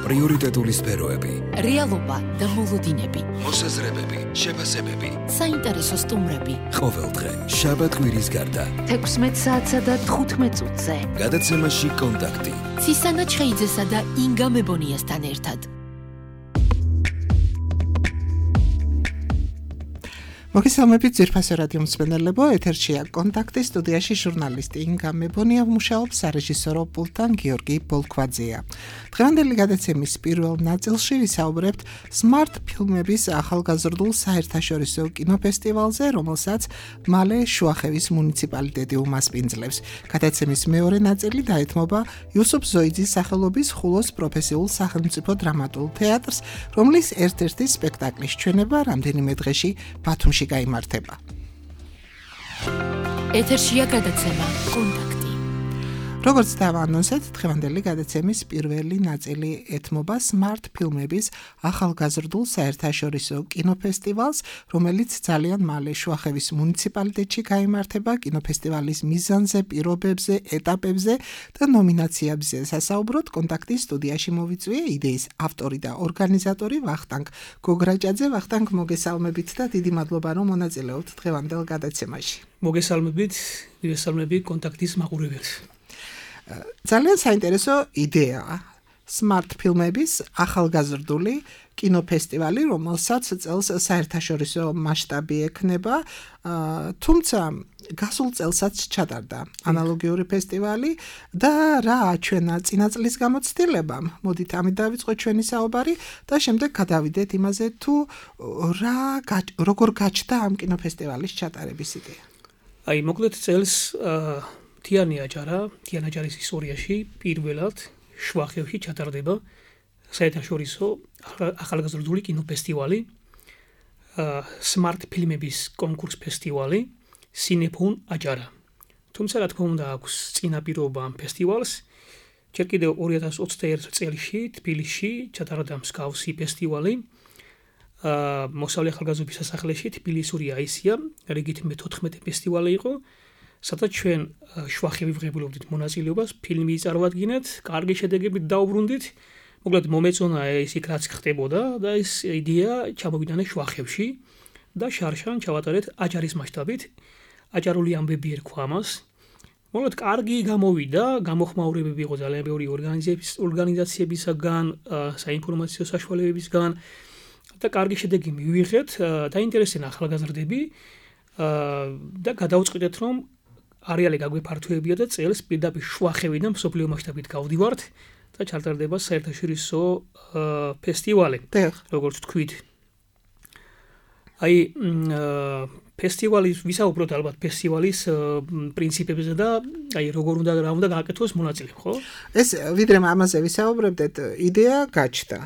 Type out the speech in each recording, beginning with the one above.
პრიორიტეტული სფეროები, რეალობა და მოლოდინები, მოსაზრებები, შეფასებები, საინტერესო სტუმრები. ყოველდღე შაბათ-კვირის გარდა 16 საათსა და 15 წუთზე. გადაცემაში კონტაქტი. ცისანა ჩხეიძესა და ინგა მებონიასთან ერთად. მოგესალმებით ძვირფასო რადიო მსმენელებო, ეთერშია კონტაქტი, სტუდიაში ჟურნალისტი ინგა მებონია, მუშაობს სარეჟისორო პულტთან გიორგი ბოლქვაძეა. დღევანდელი გადაცემის პირველ ნაწილში ვისაუბრებთ Smart ფილმების ახალგაზრდულ საერთაშორისო კინოფესტივალზე, რომელსაც მალე შუახევის მუნიციპალიტეტი უმასპინძლებს. გადაცემის მეორე ნაწილი დაეთმობა იუსუფ ზოიძის სახელობის ხულოს პროფესიულ სახელმწიფო დრამატულ თეატრს, რომლის ერთ-ერთი სპექტაკლის ჩვენება რამდენიმე დღეში ბათუმში გაიმართება. ეთერშია გადაცემა კონტაქტი. როგორც დავანონსეთ, დღევანდელი გადაცემის პირველი ნაწილი ეთმობა Smart ფილმების ახალგაზრდულ საერთაშორისო კინოფესტივალს, რომელიც ძალიან მალე შუახევის მუნიციპალიტეტში გაიმართება. კინოფესტივალის მიზანზე, პირობებზე, ეტაპებზე და ნომინაციებზე სასაუბროთ კონტაქტის სტუდიაში მოვიწვია იდეის ავტორი და ორგანიზატორი ვახტანგ გოგრაჭაძე. ვახტანგ, მოგესალმებით და დიდი მადლობა, რომ მონაწილეობთ დღევანდელ გადაცემაში. მოგესალმებით კონტაქტის მაყურებელს. ძალიან საინტერესო იდეაა Smart ფილმების ახალგაზრდული კინოფესტივალი, რომელსაც წელს საერთაშორისო მასშტაბი ექნება, თუმცა გასულ წელსაც ჩატარდა ანალოგიური ფესტივალი და რა აჩვენა წინა წლის გამოცდილებამ. მოდით ამით დავიწყოთ ჩვენი საუბარი და შემდეგ გადავიდეთ იმაზე, თუ როგორ გაჩნდა ამ კინოფესტივალის ჩატარების იდეა. მოკლედ წელს თიანაჯარის ისტორიაში პირველად შუახევში ჩატარდება საერთაშორისო ახალგაზრდული კინოფესტივალი, Smart ფილმების კონკურს ფესტივალი სინეფონ აჯარა. თუმცა რა თქმა უნდა აქვს წინაპირობა ამ ფესტივალს. ჯერ კიდევ 2021 წელში თბილისში ჩატარდა მსგავსი ფესტივალი. მოსავლე ახალგაზრდობის სასახლეში თბილისური აისია, რიგით მე-14 ფესტივალი იყო. სადაც ჩვენ შუახევი ვღებულობდით მონაწილეობას, ფილმი წარვადგინეთ, კარგი შედეგებით დაუბრუნდით. მოკლედ მომეწონა ის იქ რაც ხდებოდა და ეს იდეა ჩამოვიტანე შუახევში და შარშან ჩავატარეთ აჯარის მასშტაბით. აჯარული ამბები ერქვა ამას. მოკლედ კარგი გამოვიდა, გამოხმაურებები იყო ძალიან ბევრი ორგანიზაციებისაგან, საინფორმაციო საშუალებებისგან და კარგი შედეგი მივიღეთ. დაინტერესდნენ ახალგაზრდები და გადავწყვიტეთ, რომ არეალი გაგვეფართოებია და წელს პირდაპირ შუახევიდან მსოფლიო მასშტაბით გავდივართ და ჩატარდება საერთაშორისო ფესტივალი. როგორც თქვით. ფესტივალის ვისაუბროთ ალბათ ფესტივალის პრინციპებზე და როგორ უნდა გააკეთოს მონაწილე, ხო? ეს ვიდრე ამაზე ვისაუბრებდეთ, იდეა გაჩნდა.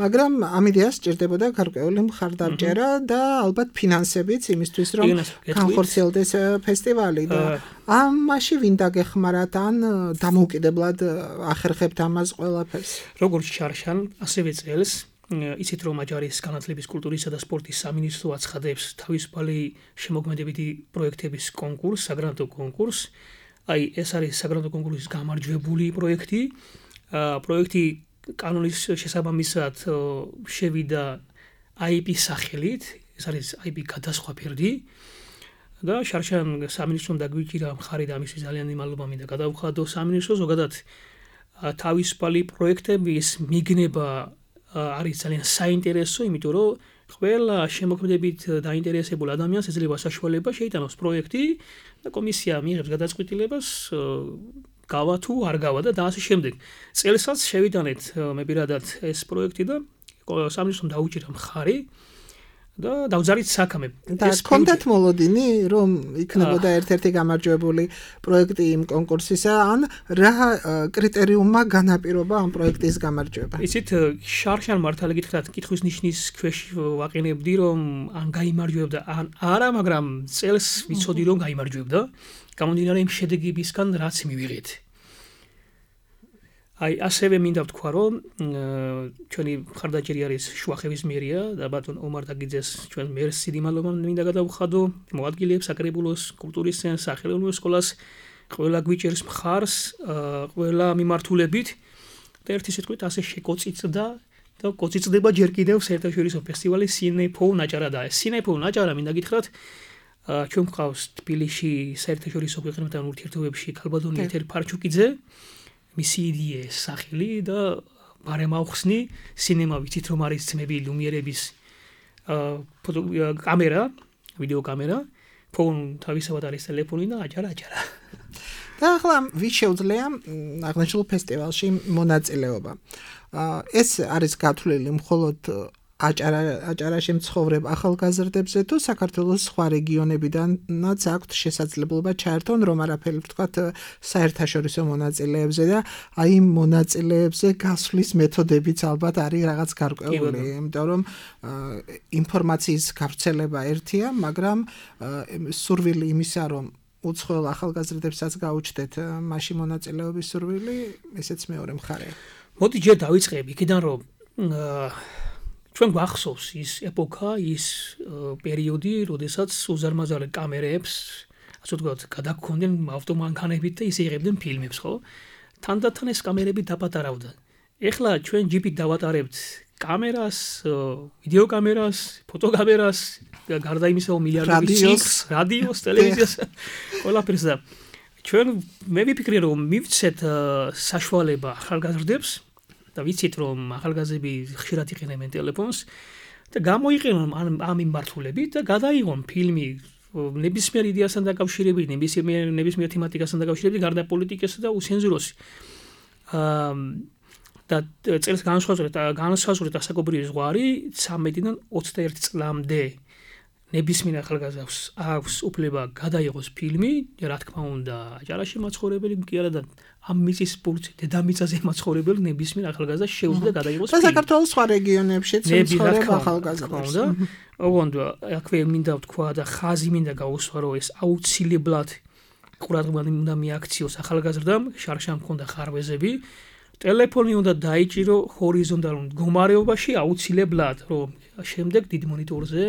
მაგრამ ამ იდეას სჭირდებოდა გარკვეული მხარდამჭერა და ალბათ ფინანსებიც იმისთვის, რომ განხორციელდეს ფესტივალი და ამაში ვინ დაგეხმარათ ან დამოუკიდებლად ახერხებთ ამას ყველაფერს? როგორც შარშან, ასევე წელს იცით რომ აჯარის განათლების, კულტურისა და სპორტის სამინისტრო აცხადებს თავისუფალი შემოქმედებითი პროექტების კონკურსს, საგრანტო კონკურსს. ეს არის საგრანტო კონკურსის გამარჯვებული პროექტი. პროექტი კანონის შესაბამისად შევიდა IP სახელით, ეს არის IP გადასხვა ფერდი და შარშან სამინისტრომ დაგვიჭირა მხარი და ამისთვის ძალიან მადლობა მინდა გადავხადო სამინისტროს. ზოგადად თავისუფალი პროექტების მიგნება არის ძალიან საინტერესო, იმიტომ რომ ყველა შემოქმედებით დაინტერესებულ ადამიანს ეძლევა საშუალება შეიტანოს პროექტი და კომისია მიიღებს გადაწყვეტილებას, გავა თუ არ გავა და ასე შემდეგ. წელსაც შევიტანეთ მე პირადად ეს პროექტი და სამინისტრომ დაუჭირა მხარი და დავზარით საქმე. და კონტაქტ მოლოდინი, რომ იქნებოდა ერთ-ერთი გამარჯვებული პროექტი იმ კონკურსისა, ან რა კრიტერიუმმა განაპირობა ამ პროექტის გამარჯვება? იცით, შარშან მართალი გითხრათ, კითხვის ნიშნის ქვეშ ვაყენებდი, რომ ან გაიმარჯვებდა, ან არა, მაგრამ წელს ვიცოდი, რომ გაიმარჯვებდა. გამომდინარე იმ შედეგებისგან, რაც მივიღეთ. ასევე მინდა ვთქვა, რომ ჩვენი მხარდაჭერი არის შუახევის მერია და ბატონ ომარ დაგიძეს ჩვენ მერს დიდი მადლობა მინდა გადავხადო, მოადგილეებს, საკრებულოს, კულტურის ცენტრს, სახელმწიფო სკოლას, ყველა გვიჭერს მხარს, ყველა მიმართულებით და ერთი სიტყვით ასე შეკოწიწდა და კოწიწდება ჯერ კიდევ საერთაშორისო ფესტივალი სინეფო ნაჭარა და სინეფო ნაჭარა მინდა გითხრათ ჩვენ გვყავს თბილისში საერთაშორისო ქვეყნებთან ურთიერთობებში ქალბატონი ეთერ ფარჩუკიძე მისი იდეა სახელი და ბარემაუხსნი სინემა ვიცით რომ არის ძმები ლუმიერების კამერა ვიდეო კამერა ფონ თავისავად არის ტელეფონი და აჭარა და ახლა ვის შეუძლია აღნიშნულ ფესტივალში მონაწილეობა ეს არის გათვლილი მხოლოდ აჭარაში მცხოვრებ ახალგაზრდებზე თუ საქართველოს სხვა რეგიონებიდანაც აქვთ შესაძლებლობა ჩაერთონ რომ არაფერი ვთქვათ საერთაშორისო მონაწილეებზე და აი მონაწილეებზე გასვლის მეთოდებიც ალბათ არის რაღაც გარკვეული იმიტომ რომ ინფორმაციის გავრცელება ერთია მაგრამ სურვილი იმისა რომ უცხოელ ახალგაზრდებსაც გაუჩნდეთ მასში მონაწილეობის სურვილი ესეც მეორე მხარეა მოდი ჯერ დავიწყებ იქიდან რომ ჩვენ გვახსოვს ის ეპოქა, ის პერიოდი, როდესაც უზარმაზარი კამერებს, ასე ვთქვათ, გადაგქონდნენ ავტომანქანებით და ისე იღებდნენ ფილმებს, ხო? თანდათან ეს კამერები დაპატარავდა. ეხლა ჩვენ ჯიპით დავატარებთ კამერას, ვიდეო კამერას, ფოტოკამერას, გარდა იმისა, მილიარდობით ციკლს, რადიოს, ტელევიზიას, ყველაფერს და ჩვენ მე ვიფიქრე რომ მივცეთ საშუალება ახალგაზრდებს და ვიცით რომ ახალგაზრდები ხშირად იყენებენ ტელეფონს და გამოიყენონ ამ მიმართულებით და გადაიღონ ფილმი ნებისმიერ იდეასთან დაკავშირებით, ნებისმიერ თემატიკასთან დაკავშირებით, გარდა პოლიტიკისა და უცენზუროსი. და წელს განსაზღვრეთ ასაკობრივი ზღვარი 13-დან 21 წლამდე ნებისმიერ ახალგაზრდას აქვს უფლება გადაიღოს ფილმი, რა თქმა უნდა, აჭარაში მაცხოვრებელი კი არა და ამ მიწის პურცი დედამიწაზე მაცხოვრებელი ნებისმიერ ახალგაზრდას შეუძლია გადაიღოს ფილმი. და საქართველოს სხვა რეგიონებშიც მცხოვრებ ახალგაზრდებს. ოღონდ აქვე მინდა ვთქვა და ხაზი მინდა გაუსვა რომ ეს აუცილებლად ყურადღება უნდა მიაქციოს ახალგაზრდამ, შარშან მქონდა ხარვეზები. ტელეფონი უნდა დაიჭირო ჰორიზონტალურ მდგომარეობაში აუცილებლად, რომ შემდეგ დიდ მონიტორზე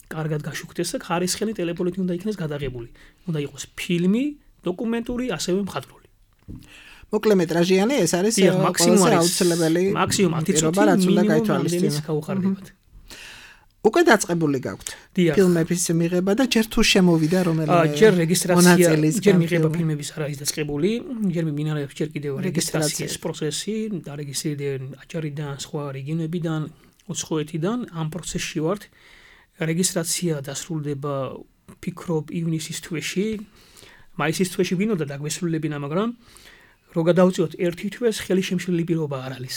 კარგად გაშუქდეს და ხარისხიანი ტელეფონით უნდა იქნეს გადაღებული. უნდა იყოს ფილმი, დოკუმენტური, ასევე მხატვრული. მოკლემეტრაჟიანი ეს არის ყველაზე აუცილებელი მაქსიმუმ 10 წუთი რაც უნდა გაითვალისწინოს. გაუხარდებათ. უკვე დაწყებული გაქვთ ფილმების მიღება და ჯერ თუ შემოვიდა რომელიმე ჯერ რეგისტრაცია ჯერ მიღება ფილმების არ არის დაწყებული, ჯერ მინარევს ჯერ კიდევ რეგისტრაციის პროცესი, დარეგისტრირდნენ აჭარიდან, სხვა რეგიონებიდან, უცხოეთიდან, ამ პროცესში ვართ. რეგისტრაცია დასრულდება ფიქრობ ივნისის თვეში, მაისის თვეში ვინოდა დაგვესრულებინა, მაგრამ რო გადავწიოთ ერთი თვეს ხელი შემშლელი პირობა არ არის.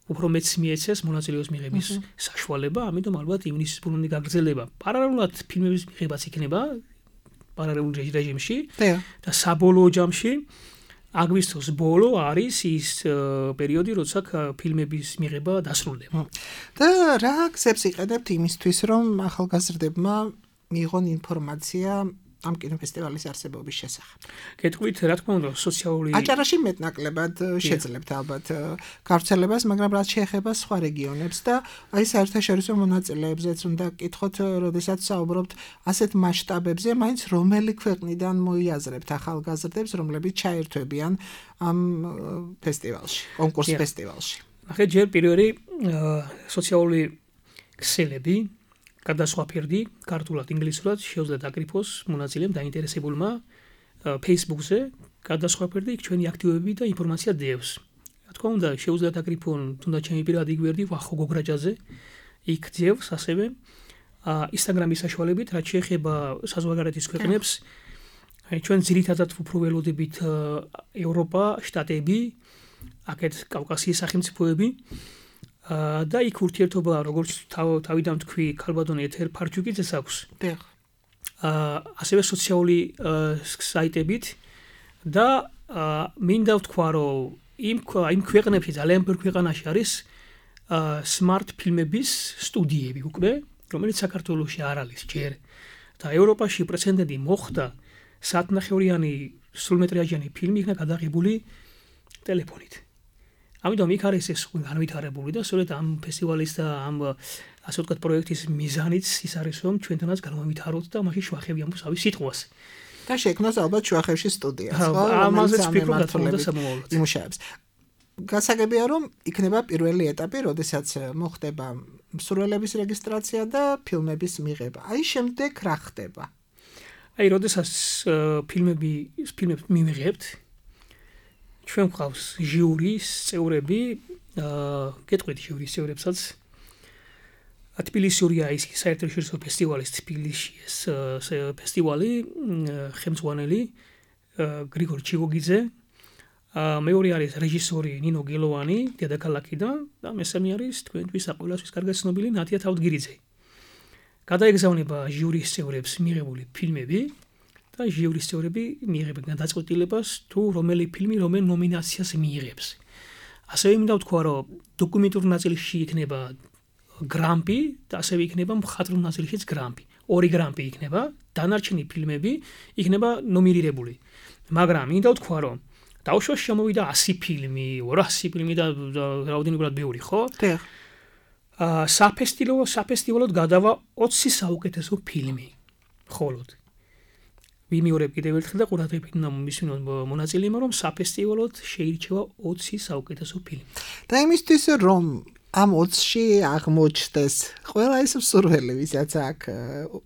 უფრო მეც მიეცეს მონაწილეობის მიღების საშუალება, ამიტომ ალბათ ივნისის ბოლომდე გაგრძელება. პარალელურად ფილმების მიღებაც იქნება პარალელურ რეჟიმში და საბოლოო ჯამში აგვისტოს ბოლო არის ის პერიოდი, როცა ფილმების მიღება დასრულდება. და რა გზებს იყენებთ იმისთვის, რომ ახალგაზრდებმა მიიღონ ინფორმაცია ამ კინოფესტივალის არსებობის შესახებ. გეტყვით, რა თქმა უნდა, სოციალური აჭარაში მეტნაკლებად შეძლებთ ალბათ გავრცელებას, მაგრამ რაც შეეხება სხვა რეგიონებს და აი საერთაშორისო მონაწილეებზეც უნდა გკითხოთ, როდესაც საუბრობთ ასეთ მასშტაბებზე, მაინც რომელი ქვეყნიდან მოიაზრებთ ახალგაზრდებს, რომლებიც ჩაერთვებიან ამ ფესტივალში, კონკურს ფესტივალში. ნახეთ, ჯერ პირველი სოციალური ქსელები გადასხვა ფერდი, ქართულად, ინგლისურად შეუძლია დაკრიფოს მონაწილემ დაინტერესებულმა Facebook-ზე გადასხვა ფერდი იქ ჩვენი აქტივობები და ინფორმაცია დევს. რა თქმა უნდა, შეუძლია დაკრიფონ თუნდაც ჩემი პირადი გვერდი ვახო გოგრაჯაზე იქ დევს ასევე Instagram-ის საშუალებით, რაც შეეხება საზღვარგარეთის ქვეყნებს, ჩვენ ძირითადად უფრო ველოდებით ევროპა, შტატები, აქეთ კავკასიის სახელმწიფოები და იქ ურთიერთობა როგორც თავიდან თქვი ქალბატონი ეთერ ფარჩუკიძეს აქვს. ასევე სოციალური საიტებით და მინდა ვთქვა რომ იმ ქვეყნებში ძალიან ბევრ ქვეყანაში არის smart ფილმების სტუდიები უკვე, რომელიც საქართველოში არ არის ჯერ და ევროპაში პრეცედენტი მოხდა საათნახევრიანი სრულმეტრაჟიანი ფილმი იქნა გადაღებული ტელეფონით. ამიტომ იქ არის ეს განვითარებული და სწორედ ამ ფესტივალის და ამ ასე ვთქვათ პროექტის მიზანიც ის არის რომ ჩვენთანაც განვითაროთ და მაშინ შვახები ამბობს სიტყვას. და შექმნას ალბათ შვახებში სტუდია, ამაზეც ფიქრობ და სამომავლოდ. იმუშავებს. გასაგებია რომ იქნება პირველი ეტაპი, როდესაც მოხდება მსურველების რეგისტრაცია და ფილმების მიღება. აი შემდეგ რა ხდება? აი როდესაც ფილმებს მივიღებთ, ჩვენ გვყავს ჟიურის წევრები, გეტყვით ჟიურის წევრებსაც თბილისურია ის საერთაშორისო ფესტივალის თბილისში ეს ფესტივალი ხელმძღვანელი გრიგორ ჩიგოგიძე, მეორე არის რეჟისორი ნინო გელოვანი დედაქალაქიდან და მესამე არის თქვენთვის საყოველთათვის კარგად ცნობილი ნათია თავდგირიძე. გადაეგზავნება ჟიურის წევრებს მიღებული ფილმები და ჟიურის წევრები მიიღებენ გადაწყვეტილებას თუ რომელი ფილმი რომელ ნომინაციას მიიღებს. ასევე მინდა ვთქვა, რომ დოკუმენტურ ნაწილში იქნება გრამპი და ასევე იქნება მხატვრულ ნაწილშიც გრამპი. 2 გრამპი იქნება, დანარჩენი ფილმები იქნება ნომინირებული. მაგრამ მინდა ვთქვა, რომ დავუშვას შემოვიდა 100 ფილმი, 200 ფილმი და რაოდენობრივად ბევრი, ხო? დიახ. საფესტივალოდ გადავა 20 საუკეთესო ფილმი. მხოლოდ. ვიმეორებ კიდევ ერთხელ და ყურადღებით უნდა მისვინოთ მონაწილეებმა, რომ საფესტივალოდ შეირჩევა 20 საუკეთესო ფილმი. და იმისთვის რომ ამ 20-ში აღმოჩნდეს ყველა ის მსურველი, ვისაც აქ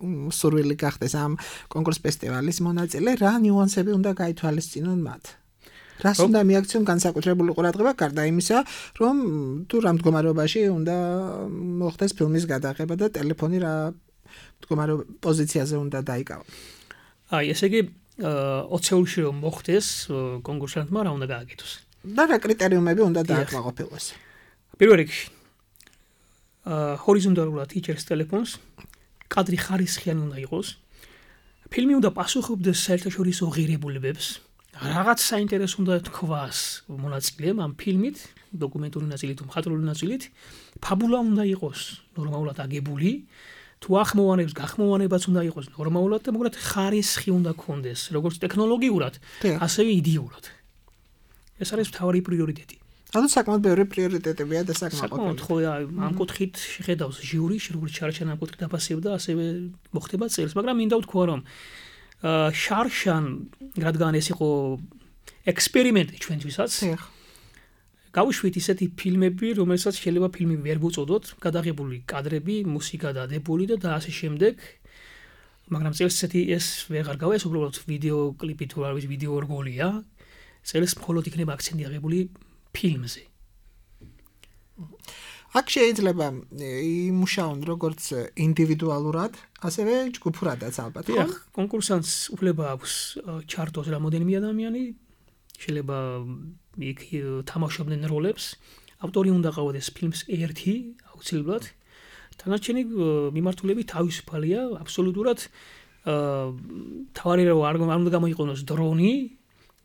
მსურველი გახდეს ამ კონკურს ფესტივალის მონაწილე, რა ნიუანსები უნდა გაითვალისწინონ მათ? რას უნდა მიაქციონ განსაკუთრებული ყურადღება, გარდა იმისა, რომ თუ რა მდგომარეობაში უნდა მოხდეს ფილმის გადაღება და ტელეფონი რა მდგომარეობის პოზიციაზე უნდა დაიკავოს. აი, ესე იგი 20-ში რომ მოხდეს კონკურსანტმა რა უნდა გააკეთოს? და რა კრიტერიუმები უნდა დააკმაყოფილოს? პირველ რიგში ჰორიზონტალურად იჭერს ტელეფონს, კადრი ხარისხიანი უნდა იყოს. ფილმი უნდა პასუხობდეს საერთაშორისო ღირებულებებს. რაღაც საინტერესო უნდა თქვას მონაწილეამ ამ ფილმით, დოკუმენტური ნაწილით თუ მხატვრული ნაწილით. ფაბულა უნდა იყოს ნორმალურად აგებული. თუ ახმოვანებს, გახმოვანებაც უნდა იყოს ნორმალურად და მოკლედ ხარისხი უნდა ქონდეს, როგორც ტექნოლოგიურად, ასევე იდეურად. ეს არის მთავარი პრიორიტეტი. ანუ საკმაოდ ბევრი პრიორიტეტებია და საკმაოდ ხო ამ კუთხით შეხედავს ჟიური, როგორც შარშან ამ კუთხით აფასებდა, ასევე მოხდება წელს, მაგრამ მინდა ვთქვა, რომ შარშან რადგან ეს იყო ექსპერიმენტი ჩვენთვისაც, გავუშვით ისეთი ფილმები, რომელსაც შეიძლება ფილმი ვერ ვუწოდოთ, გადაღებული კადრები, მუსიკა დადებული და ასე შემდეგ. მაგრამ წელს ესეთი ეს ვეღარ გავა, ეს უბრალოდ ვიდეო კლიპი თუ არის ვიდეო რგოლია. წელს მხოლოდ იქნება აქცენტი აღებული ფილმზე. აქ შეიძლება იმუშაონ როგორც ინდივიდუალურად, ასევე ჯგუფურადაც ალბათ, ხო? კონკურსანტს უფლება აქვს ჩართოს რამოდენიმე ადამიანი, შეიძლება იქ თამაშობდნენ როლებს, ავტორი უნდა ყავდეს ფილმს ერთი, აუცილებლად. დანარჩენი მიმართულები თავისუფალია, აბსოლუტურად თავარი არ უნდა გამოიყენოს დრონი,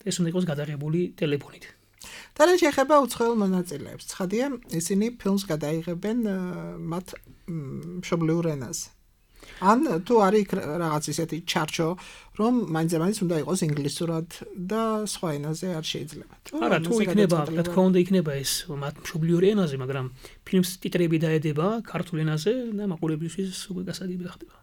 ეს უნდა იყოს გადაღებული ტელეფონით. და რა შეეხება უცხოელ მონაწილეებს, ცხადია, ისინი ფილმს გადაიღებენ მათ მშობლიურ ენაზე. ან თუ არის რაღაც ისეთი ჩარჩო, რომ მაინც უნდა იყოს ინგლისურად და სხვა ენაზე არ შეიძლება. არა, თუ იქნება, რა თქმა უნდა, იქნება ეს მათ მშობლიურ ენაზე, მაგრამ ფილმს ტიტრები დაედება ქართულ ენაზე და მაყურებლისთვის უკვე გასაგები ხდება.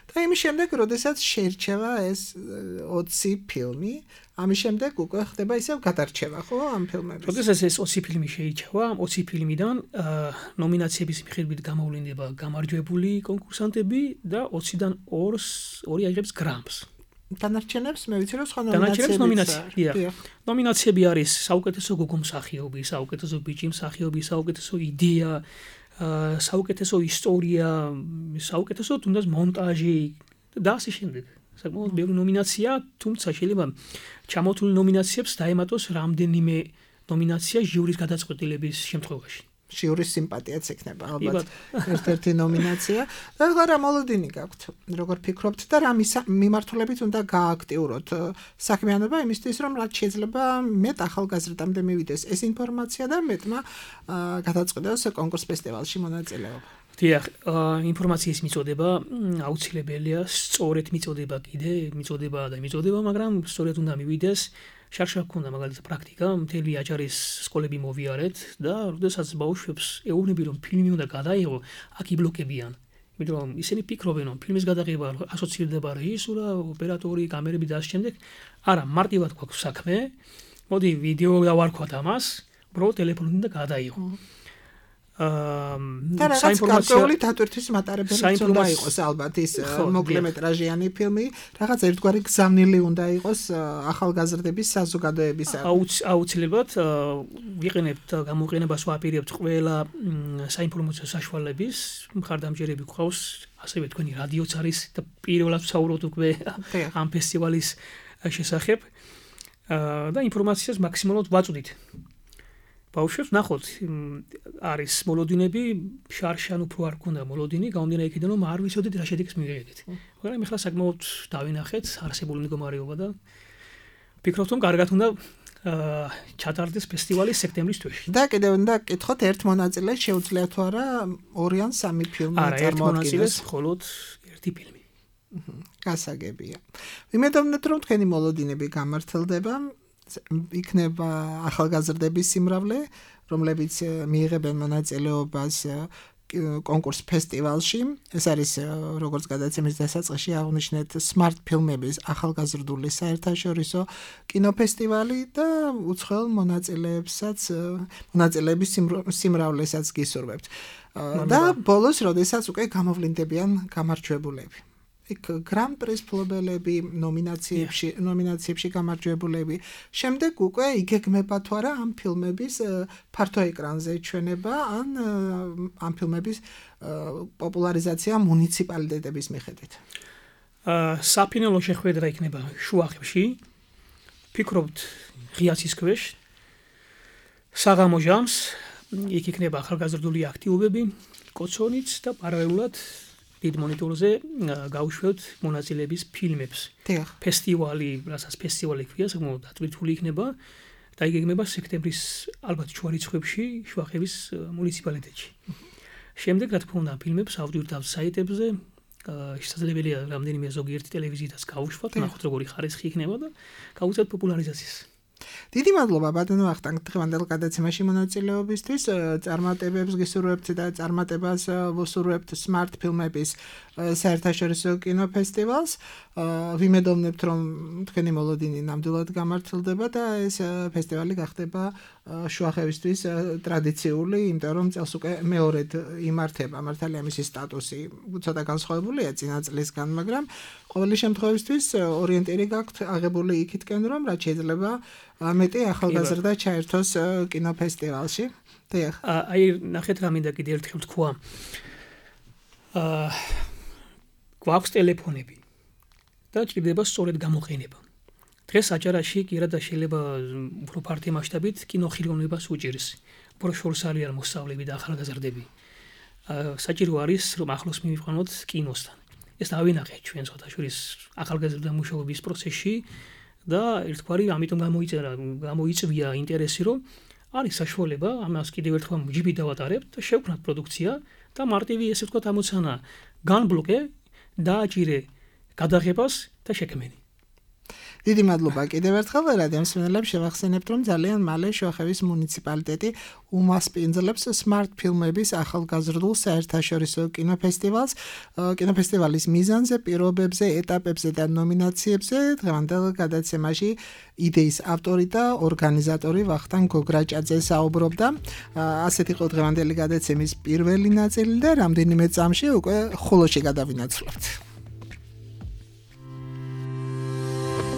და იმის შემდეგ, როდესაც შეირჩევა ეს 20 ფილმი, ამის შემდეგ უკვე ხდება ისევ გადარჩევა, ხო, ამ ფილმების. როდესაც ეს 20 ფილმი შეირჩევა, 20 ფილმიდან ნომინაციების მიხედვით გამოვლინდება გამარჯვებული კონკურსანტები და 20-დან 2 აიღებს გრამპს. დანარჩენებს მე ვიცი რომ სხვა ნომინაციები. ნომინაციები არის საუკეთესო გოგო მსახიობი, საუკეთესო ბიჭი მსახიობი, საუკეთესო იდეა, საუკეთესო ისტორია, საუკეთესო თუნდაც მონტაჟი და ასე შემდეგ. საკმაოდ ბევრი ნომინაცია, თუმცა შეიძლება ჩამოთვლილ ნომინაციებს დაემატოს რამდენიმე ნომინაცია ჟიურის გადაწყვეტილების შემთხვევაში. ჟიურის სიმპათიაც ექნება ალბათ ერთ-ერთი ნომინაცია. და რა მოლოდინი გაქვთ? როგორ ფიქრობთ და რა მიმართულებით უნდა გააქტიუროთ საქმიანობა იმისთვის, რომ რაც შეიძლება მეტ ახალგაზრდამდე მივიდეს ეს ინფორმაცია და მეტმა გადაწყვეტოს კონკურს ფესტივალში მონაწილეობა. დიახ, ინფორმაციის მიწოდება აუცილებელია, სწორედ მიწოდება კიდე, მიწოდება, მაგრამ სწორედ უნდა მივიდეს. შარშა გქონდა მაგალითად პრაქტიკა, მთელი აჭარის სკოლები მოვიარეთ და როდესაც ბავშვებს ეუბნები რომ ფილმი უნდა გადაიღო, აქ იბლოკებიან. იმიტომ რომ ისინი ფიქრობენ რომ ფილმის გადაღება ასოცირდება რეჟისურა, ოპერატორი, კამერები და ასე შემდეგ. არა, მარტივად გვაქვს საქმე. მოდი ვიდეო დავარქვათ ამას, პრო ტელეფონი უნდა გადაიღო. და რაღაც გარკვეული დატვირთვის მატარებელი უნდა იყოს ალბათ ის მოკლემეტრაჟიანი ფილმი, რაღაც ერთგვარი გზავნილი უნდა იყოს ახალგაზრდების საზოგადოებისა. აუცილებლად ვიყენებთ გამოყენებას ვაპირებთ ყველა საინფორმაციო საშუალების, მხარდამჭერები გვყავს, ასევე თქვენი რადიოც არის და პირველად ვსაუბრობთ უკვე ამ ფესტივალის შესახებ და ინფორმაციას მაქსიმალურად ვაწვდით. ბავშვებს ნახოთ არის მოლოდინები, შარშან უფრო არ გქონდა მოლოდინი, გამომდინარე იქიდან რომ არ ვიცოდით რა შედეგს მივიღეთ. მაგრამ ეხლა საკმაოდ დავინახეთ არსებული მდგომარეობა და ვფიქრობთ რომ კარგად უნდა ჩატარდეს ფესტივალი სექტემბრის თვეში. და კიდევ უნდა გკითხოთ ერთ მონაწილეს შეუძლია თუ არა 2 ან 3 ფილმი წარმოადგენს. არა, ერთ მონაწილეს მხოლოდ ერთი ფილმი. გასაგებია. ვიმედოვნებთ რომ თქვენი მოლოდინები გამართლდება. იქნება ახალგაზრდების სიმრავლე, რომლებიც მიიღებენ მონაწილეობას კონკურს ფესტივალში. ეს არის როგორც გადაცემის დასაწყისში აღნიშნეთ Smart ფილმების ახალგაზრდული საერთაშორისო კინოფესტივალი და უცხოელ მონაწილეების სიმრავლესაც გისურვებთ. და ბოლოს, როდესაც უკვე გამოვლინდებიან გამარჯვებულები. იქ გრან-პრის მფლობელები, ნომინაციებში გამარჯვებულები. შემდეგ უკვე იგეგმება თუ არა ამ ფილმების ფართო ეკრანზე ჩვენება ან ამ ფილმების პოპულარიზაცია მუნიციპალიტეტების მიხედვით. საფინალო შეხვედრა იქნება შუახევში. ფიქრობთ ღიაცის ქვეშ. საღამო ჟამს იქ იქნება ახალგაზრდული აქტივობები, კოცონიც და პარალელურად დიდ მონიტორზე გავუშვებთ მონაწილეების ფილმებს. ფესტივალი, რასაც ფესტივალი ქვია, საკმაოდ დატვირთული იქნება და იგეგმება სექტემბრის ალბათ შუა რიცხვებში შუახევის მუნიციპალიტეტში. შემდეგ რა თქმა უნდა ფილმებს ავდივართ საიტებზე, შესაძლებელია რამდენიმე ზოგიერთი ტელევიზიითაც გავუშვათ, ნახოთ როგორი ხარისხი იქნება და გავუწევთ პოპულარიზაციის. დიდი მადლობა ბატონო ვახტანგ დღევანდელ გადაცემაში მონაწილეობისთვის. წარმატებებს გისურვებთ და წარმატებას ვუსურვებთ Smart ფილმების საერთაშორისო კინოფესტივალს. ვიმედოვნებთ რომ თქვენი მოლოდინი ნამდვილად გამართლდება და ეს ფესტივალი გახდება შუახევისთვის ტრადიციული, იმიტომ რომ წელს უკვე მეორედ იმართება. მართალია მისი სტატუსი ცოტა განსხვავებულია წინა წლისგან, მაგრამ ყოველი შემთხვევისთვის ორიენტირი გაქვთ აღებული იქითკენ რომ რაც შეიძლება მეტი ახალგაზრდა ჩაერთოს კინოფესტივალში. აი ნახეთ რა მინდა კიდე ერთხელ თქვა. გვაქვს ტელეფონები და ჭირდება სწორედ გამოყენება. დღეს აჭარაში კი რა და შეიძლება უფრო ფართო მასშტაბით კინოხილოვნებას უჭირს. უფრო შორს არიან მოსწავლეები და ახალგაზრდები. საჭირო არის რომ ახლოს მივიყვანოთ კინოსთან. ეს დავინახეთ ჩვენ საერთაშორის ახალგაზრდა მუშაობის პროცესში და ერთგვარი ამიტომ გამოიწვია ინტერესი რომ არის საშუალება ამას კიდევ ერთხელ ჯიბი დავატარებთ და შევქმნათ პროდუქცია და მარტივი ესე ვთქვათ ამოცანა განბლოკე დააჭირე გადაღებას და შექმენი. დიდი მადლობა კიდევ ერთხელ რადიო მსმენელებს შევახსენებთ რომ ძალიან მალე შუახევის მუნიციპალიტეტი უმასპინძლებს Smart ფილმების ახალგაზრდულ საერთაშორისო კინოფესტივალს. კინოფესტივალის მიზანზე, პირობებზე, ეტაპებზე და ნომინაციებზე დღევანდელ გადაცემაში იდეის ავტორი და ორგანიზატორი ვახტანგ გოგრაჭაძე საუბრობდა. ასეთ იყო დღევანდელი გადაცემის პირველი ნაწილი და რამდენიმე წამში უკვე ხულოში გადავინაცვლებთ.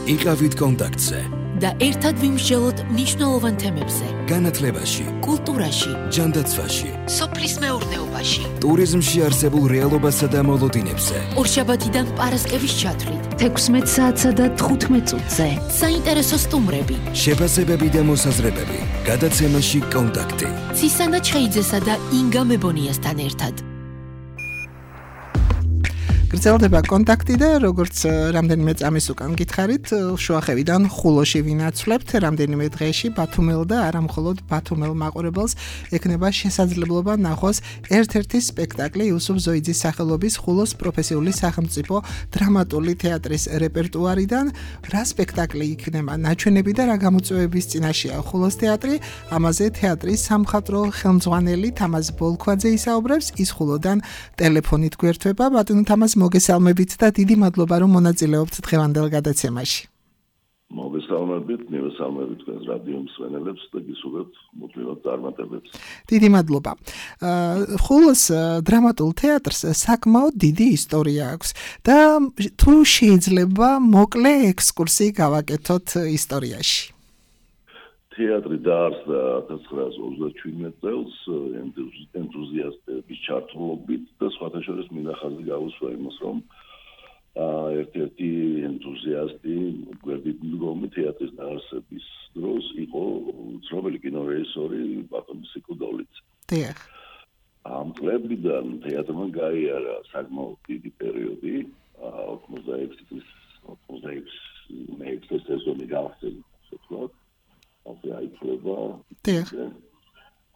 იყავით კონტაქტზე და ერთად ვიმსჯელოთ მნიშვნელოვან თემებზე. განათლებაში, კულტურაში, ჯანდაცვაში, სოფლის მეურნეობაში, ტურიზმში არსებულ რეალობასა და მოლოდინებზე. ორშაბათიდან პარასკევის ჩათვლით 16 საათსა და 15 წუთზე. საინტერესო სტუმრები, შეფასებები და მოსაზრებები. გადაცემაში კონტაქტი. ცისანა ჩხეიძესა და ინგა მებონიასთან ერთად. გრძელდება კონტაქტი და როგორც რამდენიმე წამის უკან გითხარით, შუახევიდან ხულოში ვინაცვლებთ რამდენიმე დღეში ბათუმელ და არა მხოლოდ ბათუმელ მაყურებელს ექნება შესაძლებლობა ნახოს ერთ-ერთი სპექტაკლი იუსუფ ზოიძის სახელობის ხულოს პროფესიული სახელმწიფო დრამატული თეატრის რეპერტუარიდან. რა სპექტაკლი იქნება ნაჩვენები და რა გამოწვევების წინაშეა ხულოს თეატრი? ამაზე თეატრის სამხატვრო ხელმძღვანელი თამაზ ბოლქვაძე ისაუბრებს, ის ხულოდან ტელეფონით გვერდება. ბატონო თამაზ, მოგესალმებით და დიდი მადლობა რომ მონაწილეობთ დღევანდელ გადაცემაში. მოგესალმებით, მივესალმებით თქვენს რადიო მსმენელებს და გისურვებთ მუდმივად წარმატებებს. დიდი მადლობა. ხულოს დრამატულ თეატრს საკმაოდ დიდი ისტორია აქვს და თუ შეიძლება მოკლე ექსკურსი გავაკეთოთ ისტორიაში. თეატრი დაარსდა 1937 წელს ენთუზიასტების ჩართულობით და სხვათა შორის მინდა ხაზი გავუსვა იმას, რომ ერთ-ერთი ენთუზიასტი გვერდით მდგომი თეატრის დაარსების დროს იყო ცნობილი კინორეჟისორი ბატონი სიკუდოლიძე. დიახ. ამ წლებიდან თეატრმა გაიარა საკმაოდ დიდი პერიოდი, 86 სეზონი გავხსენე, ვთქვათ. ასე აიწლება. დიახ.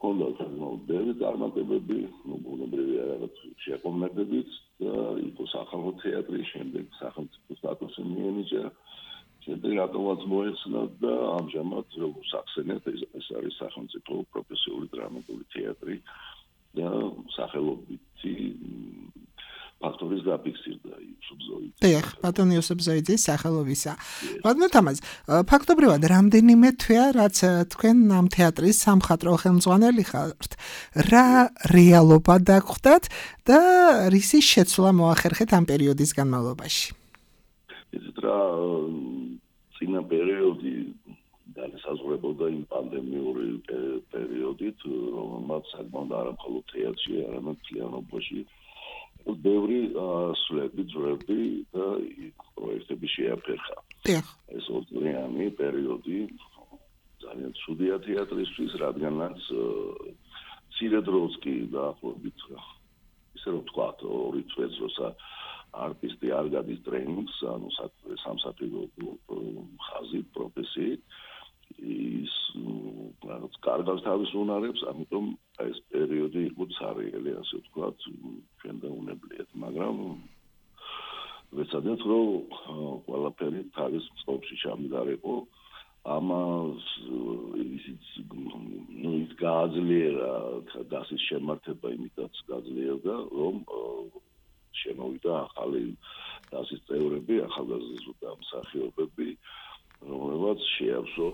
ჰქონდა საკმაოდ ბევრი წარმატებები, ბუნებრივია რაღაც შეკომნებებიც და იყო სახალხო თეატრი, შემდეგ სახელმწიფო სტატუსი მიენიჭა. შემდეგ რატომაც მოეხსნა და ამჟამად როგორც ახსენეთ, ეს არის სახელმწიფო პროფესიული დრამატული თეატრი და სახელობითი ფაქტორის დაფიქსირდა იუსუფზოიძე. დიახ, ბატონი იუსუფზოიძის სახელობისა. ბატონო თამაზ, ფაქტობრივად რამდენიმე თვეა, რაც თქვენ ამ თეატრის სამხატვრო ხელმძღვანელი ხართ, რა რეალობა დაგხვდათ და რისი შეცვლა მოახერხეთ ამ პერიოდის განმავლობაში? იცით რა, წინა პერიოდი განსაზღვრებოდა იმ პანდემიური პერიოდით, რომელმაც საკმაოდ არა მხოლოდ თეატრში, არამედ მთლიანობაში ბევრი სვლები, ძვრები და პროექტები შეაფერხა. ეს ორწლიანი პერიოდი ძალიან ცუდია თეატრისთვის, რადგანაც მცირე დროს კი დაახლოებით ისე რომ ვთქვათ, 2 წელს როცა არტისტი არ გადის ტრენინგს, ანუ სამსახიობო ხაზით, პროფესიით, ის რაღაც კარგავს თავის უნარებს, ამიტომ ეს პერიოდი იყო ცარიელი, ასე ვთქვათ, ჩვენ დაუნებლიეთ, მაგრამ ვეცადეთ, რომ ყველაფერი თავის წყობაში ჩამდგარიყო. ამას ის გააძლიერა დასის შემართება, იმითაც გაძლიერდა, რომ შემოვიდა ახალი დასის წევრები, ახალგაზრდა მსახიობები, რომელსაც შეავსო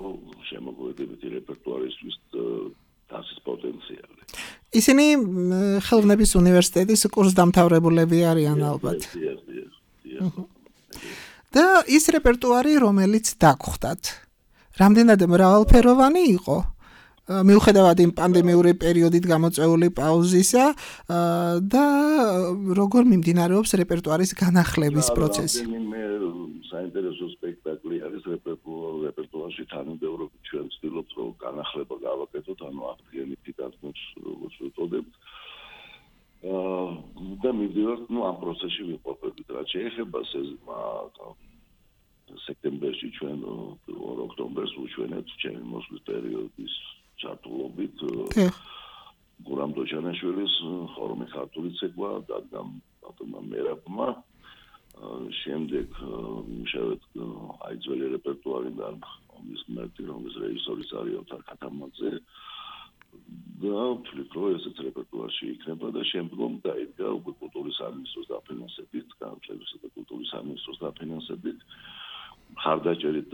შემოგვედებითი რეპერტუარისთვის დასის პოტენციალი. ისინი ხელოვნების უნივერსიტეტის კურსდამთავრებულები არიან ალბათ. და ის რეპერტუარი, რომელიც დაგხვდათ, რამდენად მრავალფეროვანი იყო? მიუხედავად იმ პანდემიური პერიოდით გამოწვეული პაუზისა და როგორ მიმდინარეობს რეპერტუარის განახლების პროცესი? საინტერესო სპექტაკლი არის რეპერტუარში თანმიმდევრობით ჩვენ ვცდილობთ, რომ განახლება გავაკეთოთ, ანუ აღდგენითი დადგმებს, როგორც ვუწოდებთ. და მივდივართ, ამ პროცესში ვიმყოფებით, რაც შეეხება სექტემბერში ჩვენ ოქტომბერს ვუჩვენეთ ჩემი მოსვლის პერიოდის ჩართულობით გურამ დოჩანაშვილის ხორომი ქართული ცეკვა დადგა ბატონმა მერაბმა. შემდეგ მუშავეთ აიძველი რეპერტუარიდან ის მარტი რომლის რეჟისორის არის ოთარ ქათამაძე და ვთვლით, რომ ესეც რეპერტუარში იქნება და შემდგომ დაიდგა უკვე კულტურის სამინისტროს დაფინანსებით, განათლებისა და კულტურის სამინისტროს დაფინანსებით, მხარდაჭერით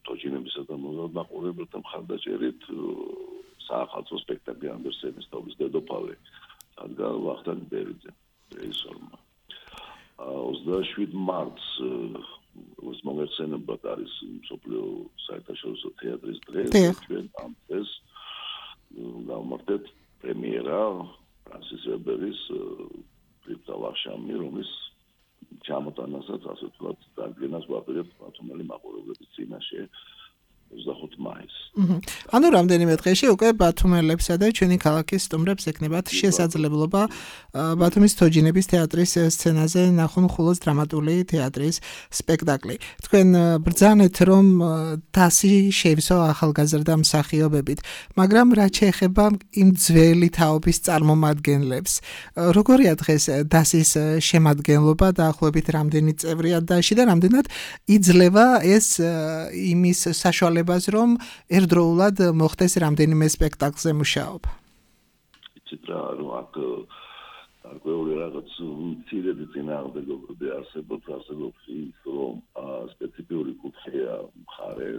თოჯინებისა და მოზარდნაყურებელთა მხარდაჭერით საახალწლო სპექტაკლი ანდერსენის თობის დედოფალი დადგა ვახტანგ ბერიძე რეჟისორმა. 27 მარტს ეს მოგეხსენებათ არის მსოფლიო საერთაშორისო თეატრის დღე. ჩვენ ამ დღეს გავმართეთ პრემიერა ფრანსის ვებერის პრიტალაშამი, რომლის ჩამოტანასაც ასე ვთქვათ, დადგენას ვაპირებთ მათომელი მაყურებლების წინაშე 25 მაისს. ანუ რამდენიმე დღეში უკვე ბათუმელებსა და ჩვენი ქალაქის სტუმრებს ეკნებათ შესაძლებლობა ბათუმის თოჯინების თეატრის სცენაზე ნახონ ხულოს დრამატული თეატრის სპექტაკლი. თქვენ ბრძანეთ, რომ დასი შეივსო ახალგაზრდა მსახიობებით, მაგრამ რაც შეეხება იმ ძველი თაობის წარმომადგენლებს, როგორია დღეს დასის შემადგენლობა დაახლოებით რამდენი წევრია დასში და რამდენად იძლევა ეს იმის საშუალებას, რომ ერთდროულად მოხდეს რამდენიმე სპექტაკლზე მუშაობა. იცით რა, აქ გარკვეული რაღაც მცირედი წინააღმდეგობები არსებობს ის, რომ სპეციფიური კუთხეა მხარე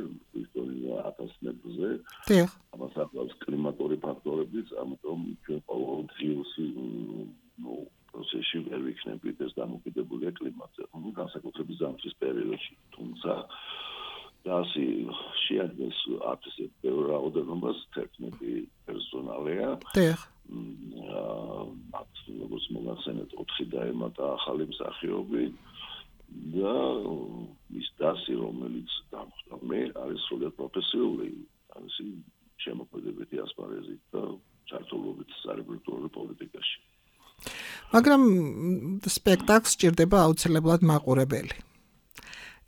ისტორია 1000 მეტრზე. დიახ. ამას ახლავს კლიმატური ფაქტორებიც, ამიტომ ჩვენ ყოველდღიურ პროცესში ვერ ვიქნებით ეს დამოკიდებულია კლიმატზე. განსაკუთრებით ზამთრის პერიოდში, თუმცა დასი შეადგენს არტის ბევრ რაოდენობას 11 პერსონალია. დიახ. როგორც მოგახსენეთ 4 დაემატა ახალი მსახიობი და ის დასი რომელიც დამხვდა მე არის სრულიად პროფესიული არის შემოქმედებითი ასპარეზით და ჩართულობით სარებრიტუარო პოლიტიკაში. მაგრამ სპექტაკლს სჭირდება აუცილებლად მაყურებელი.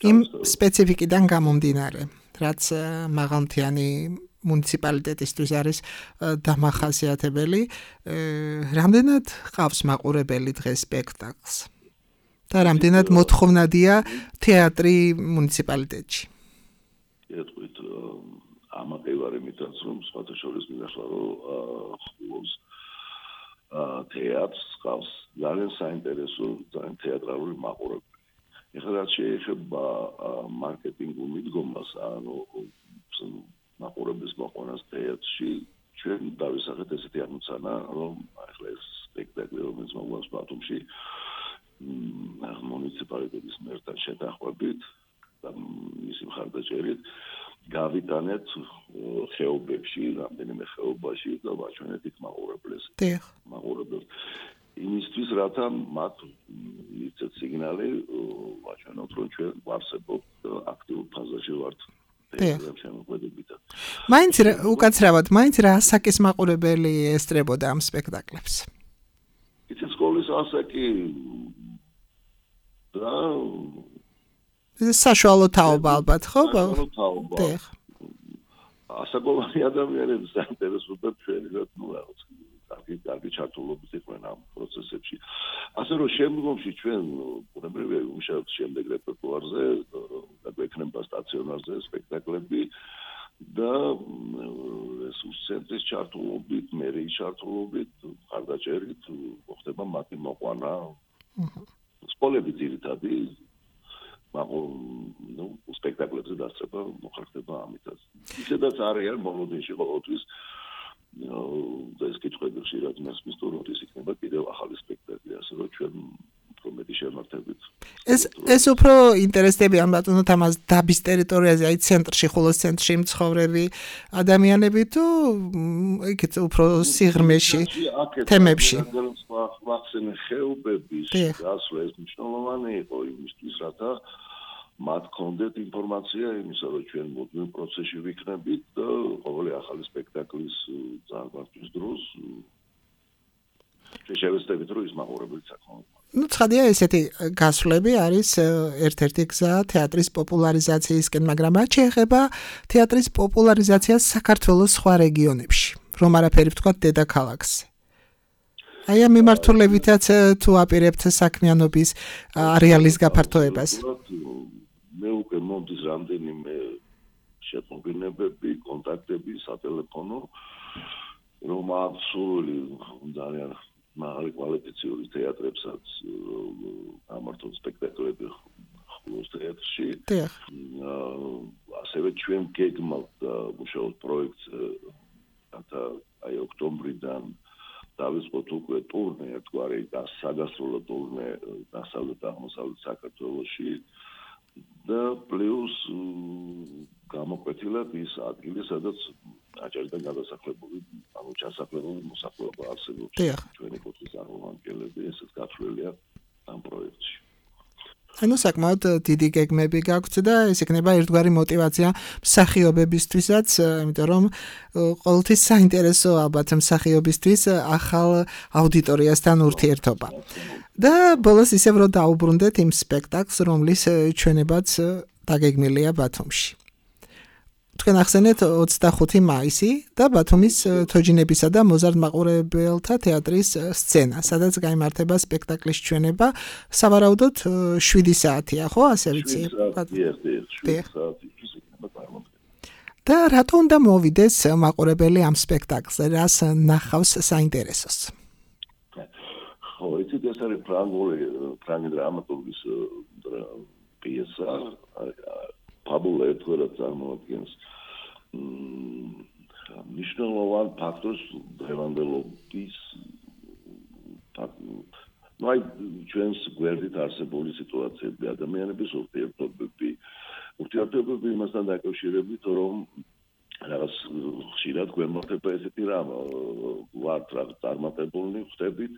იმ სპეციფიკიდან გამომდინარე, რაც მაღალმთიანი მუნიციპალიტეტისთვის არის დამახასიათებელი, რამდენად ყავს მაყურებელი დღეს სპექტაკლს და რამდენად მოთხოვნადია თეატრი მუნიციპალიტეტში. ეთქვით, ამაყევარი მითაც რომ სხვათა შორის მინახვა რომ ხულოს თეატრს ყავს ძალიან საინტერესო, ძალიან თეატრალური მაყურებელი. ეხლა რაც შეეხება მარკეტინგულ მიდგომას, ანუ მაყურებლის მოყვანას თეატრში, ჩვენ დავისახეთ ესეთი ამოცანა, რომ ახლა ეს სპექტაკლი, რომელიც მოგვაქვს ბათუმში, მუნიციპალიტეტის მერთან შეთანხმებით და მისი მხარდაჭერით გავიტანეთ ხეობებში, რამდენიმე ხეობაში და ვაჩვენეთ იქ მაყურებელს. მაყურებელს იმისთვის, რათა მათ მიცეთ სიგნალი ვაჩვენოთ, რომ ჩვენ ვარსებობთ აქტიურ ფაზაში ვართ. მაინც უკაცრავად, მაინც რა ასაკის მაყურებელი ესწრებოდა ამ სპექტაკლებს? იცით, სკოლის ასაკი და საშუალო თაობა ალბათ, ხო? საშუალო თაობა. ასაკოვანი ადამიანები საინტერესოა ჩვენი რაღაც კარგი ჩართულობით იყვნენ ამ პროცესებში. ასე რომ შემდგომში ჩვენ უნებრივია ვიმუშავებთ შემდეგ რეპერტუარზე და გვექნება სტაციონარზე სპექტაკლები და რესურს ცენტრის ჩართულობით, მერიის ჩართულობით, მხარდაჭერით მოხდება მათი მოყვანა. სკოლები ძირითადი სპექტაკლებზე დასწრება მოხერხდება ამითაც. ისედაც არიან მოლოდინში ყოველთვის და ეს კითხვები ხშირად მესმის თუ როდის იქნება კიდევ ახალი სპექტაკლი, ასე რომ ჩვენ უფრო მეტი შემართებით. ეს უფრო ინტერესდებიან ბატონო თამაზ დაბის ტერიტორიაზე, აი ცენტრში, ხულოს ცენტრში მცხოვრები ადამიანები თუ იქით უფრო სიღრმეში თემებში. ვახსენე ხეობების გასვლა ეს მნიშვნელოვანი იყო იმისთვის, რათა მათ კონდეთ ინფორმაცია იმისა, რომ ჩვენ მოდმე პროცესში ვიქნებით და ყოველი ახალი სპექტაკლის წარღვართვის დროს შევეცდებით, რომ ის მაყურებელი საკმაოდ. ცხადია, ესეთი გასვლები არის ერთ-ერთი გზა თეატრის პოპულარიზაციისკენ, მაგრამ რაც შეეხება თეატრის პოპულარიზაციას საქართველოს სხვა რეგიონებში, რომ არაფერი ვთქვათ დედაქალაქზე. აი ამ მიმართულებითაც თუ აპირებთ საქმიანობის არეალის გაფართოებას. მე უკვე მომდის რამდენიმე შეტყობინებები, კონტაქტები სატელეფონო, რომ აბსოლუტური ძალიან მაღალი კვალიფიციური თეატრებსაც ამართონ სპექტაკლები ხულოს თეატრში. ასევე ჩვენ გეგმავთ მუშაობთ პროექტზე, რათა აი ოქტომბრიდან დავიწყოთ უკვე ტურნე, ერთგვარი საგასტროლო ტურნე დასავლეთ აღმოსავლეთ საქართველოში და პლუს გამოკვეთილად ის ადგილი, სადაც აჭარიდან გადასახლებული, ანუ ჩასახლებული მოსახლეობა არსებობს. ჩვენი კუთხის წარმომადგენლები ესეც გათვლილია ამ პროექტში. ანუ საკმაოდ დიდი გეგმები გაქვთ და ეს იქნება ერთგვარი мотиваცია მსახიობებისთვისაც, იმიტომ რომ ყოველთვის საინტერესო ალბათ მსახიობისთვის ახალ აუდიტორიასთან ურთიერთობა. და ბოლოს ისევ რომ დაუბრუნდეთ იმ სპექტაკლს, რომლის ჩვენებაც დაგეგმილია ბათუმში. თქვენ ახსენეთ 25 მაისი და ბათუმის თოჯინებისა და მოზარდ მაყურებელთა თეატრის სცენა, სადაც გაიმართება სპექტაკლის ჩვენება, სავარაუდოდ 7 საათია, ხო, ასე ვიცი? და რატო უნდა მოვიდეს მაყურებელი ამ სპექტაკლზე, რას ნახავს საინტერესოს? ხო, ეს არის ფრანგი დრამატურგის პიესა, ფაბულა ერთგვარად წარმოადგენს მნიშვნელოვან ფაქტორს დღევანდელობის ჩვენს გვერდით არსებული სიტუაციები, ადამიანების ურთიერთობები იმასთან დაკავშირებით, რომ რაღაც ხშირად გვემართება ესეთი რამ, ვართ რაღაც წარმატებულნი ხდებით,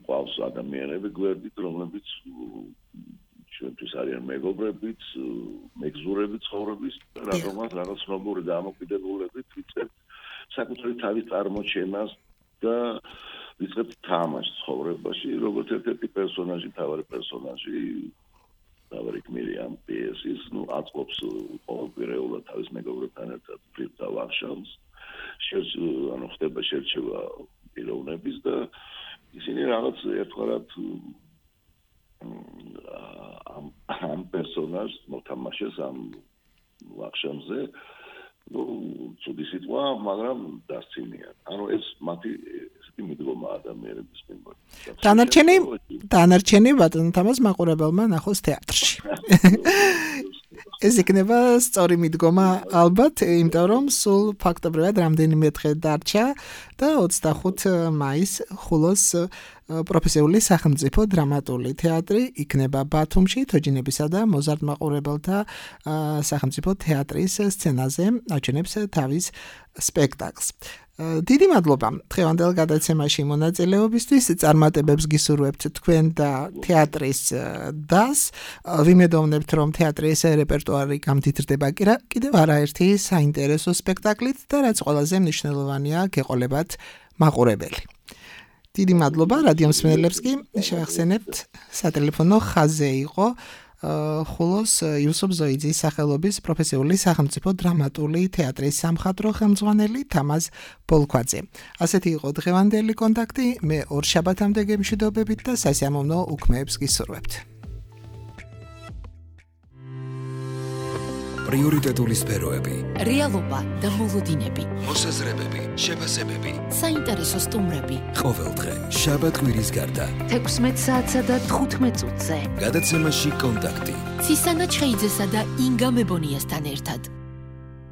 ყავს ადამიანები გვერდით, რომლებიც ჩვენთვის არიან მეგობრებიც, მეგზურები ცხოვრების, რადგანაც რაღაც ცნობური დამოკიდებულებით ვიწყებთ საკუთარი თავის წარმოჩენას და ვიწყებთ თამაშს ცხოვრებაში, როგორც ერთ-ერთი პერსონაჟი, თავარი პერსონაჟი, თავარი გმირი ამ პიესის, აწყობს ყოველკვირეულად თავის მეგობრებთან ერთად ფლირტს და ვახშამს, ხდება შერჩევა პიროვნების და ისინი რაღაც ერთგვარად ამ პერსონაჟს მოთამაშეს ამ ვახშამზე, ცუდი სიტყვა, მაგრამ დასცინიან. ეს მათი ესეთი მიდგომა ადამიანების მიმართ. დანარჩენი ბატონო თამაზ მაყურებელმა ნახოს თეატრში. ეს იქნება სწორი მიდგომა ალბათ, იმიტომ რომ სულ ფაქტობრივად რამდენიმე დღე დარჩა და 25 მაისს ხულოს პროფესიული სახელმწიფო დრამატული თეატრი იქნება ბათუმში, თოჯინებისა და მოზარდ მაყურებელთა სახელმწიფო თეატრის სცენაზე აჩვენებს თავის სპექტაკლს. დიდი მადლობა დღევანდელ გადაცემაში მონაწილეობისთვის, წარმატებებს გისურვებთ თქვენ და თეატრის დას. ვიმედოვნებთ, რომ თეატრის რეპერტუარი გამდიდრდება კიდევ არაერთი საინტერესო სპექტაკლით და რაც ყველაზე მნიშვნელოვანია, გეყოლებათ მაყურებელი. დიდი მადლობა რადიო მსმენელებს კი შევახსენებთ სატელეფონო ხაზზე იყო ხულოს იუსუფ ზოიძის სახელობის პროფესიული სახელმწიფო დრამატული თეატრის სამხატვრო ხელმძღვანელი თამაზ ბოლქვაძე. ასეთი იყო დღევანდელი კონტაქტი, მე ორ შაბათამდე გემშვიდობებით და სასიამოვნო უქმეებს გისურვებთ. პრიორიტეტული სფეროები, რეალობა და მოლოდინები, მოსაზრებები, შეფასებები, საინტერესო სტუმრები. ყოველდღე შაბათ-კვირის გარდა 16 საათსა და 15 წუთზე. გადაცემაში კონტაქტი. ცისანა ჩხეიძესა და ინგა მებონიასთან ერთად.